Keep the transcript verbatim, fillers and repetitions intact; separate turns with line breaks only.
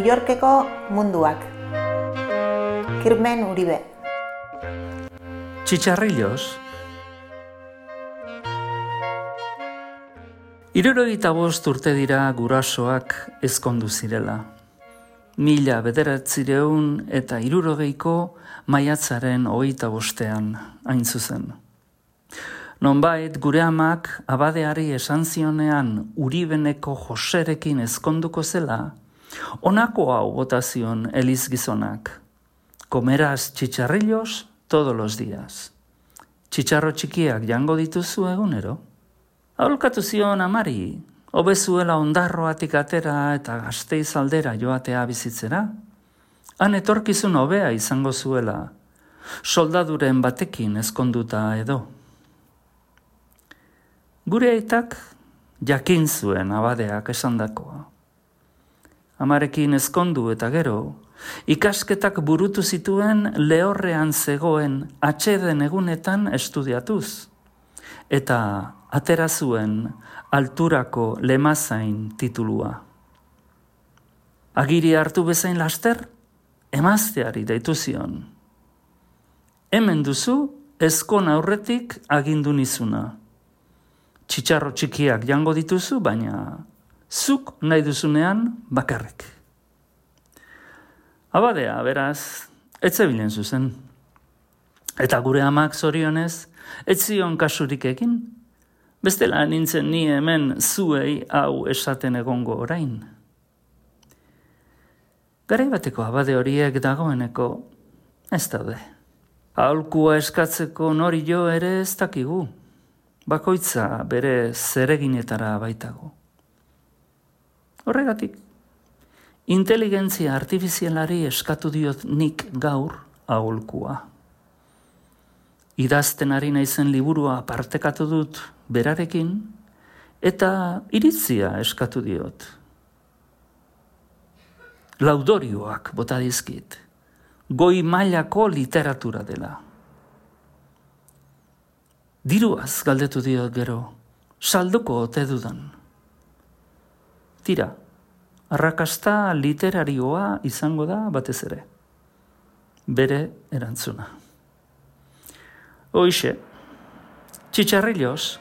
New Yorkeko munduak. Kirmen Uribe.
Txitxarrillos. Hirurogeita bost urte dira gurasoak ezkondu zirela. Mila bederatzireun eta hirurogeiko maiatzaren hogeita bostean hain zuzen. Nonbait gure amak abadeari esan zionean Uribeneko Joserekin ezkonduko zela, honako hau bota zion eliz gizonak. Comerás chicharrillos todos los días. Txitxarro txikiak jango dituzu egunero? Aholkatu zion amari, hobe zuela ondarroatik atera eta Gasteiz aldera joatea bizitzera. Han etorkizun hobea izango zuela, soldaduren batekin ezkonduta edo. Gure aitak jakin zuen abadeak esandakoa. Amarekin ezkondu eta gero, ikasketak burutu zituen lehorrean zegoen atxeden egunetan estudiatuz, eta atera zuen alturako lemazain titulua. Agiri hartu bezain laster, emazteari deitu zion. Hemen duzu ezkon aurretik agindu nizuna. Txitxarro txikiak jango dituzu, baina zuk nahi duzunean bakarrik. Abadea, beraz, ez zebilen zuzen. Eta gure amak zorionez, ez zion kasurik egin, bestela nintzen ni hemen zuei hau esaten egongo orain. Garai bateko abade horiek dagoeneko ez daude. Aholkua eskatzeko nori jo ere ez dakigu. Bakoitza bere zereginetara baitago. Horregatik, inteligentzia artifizialari eskatu diot nik gaur aholkua. Idazten ari naizen liburua partekatu dut berarekin eta iritzia eskatu diot. Laudorioak bota dizkit, goi mailako literatura dela. Diruaz galdetu diot gero, salduko ote dudan. Tira, arrakasta literarioa izango da batez ere. Bere erantzuna. Hoixe, txitxarrillos.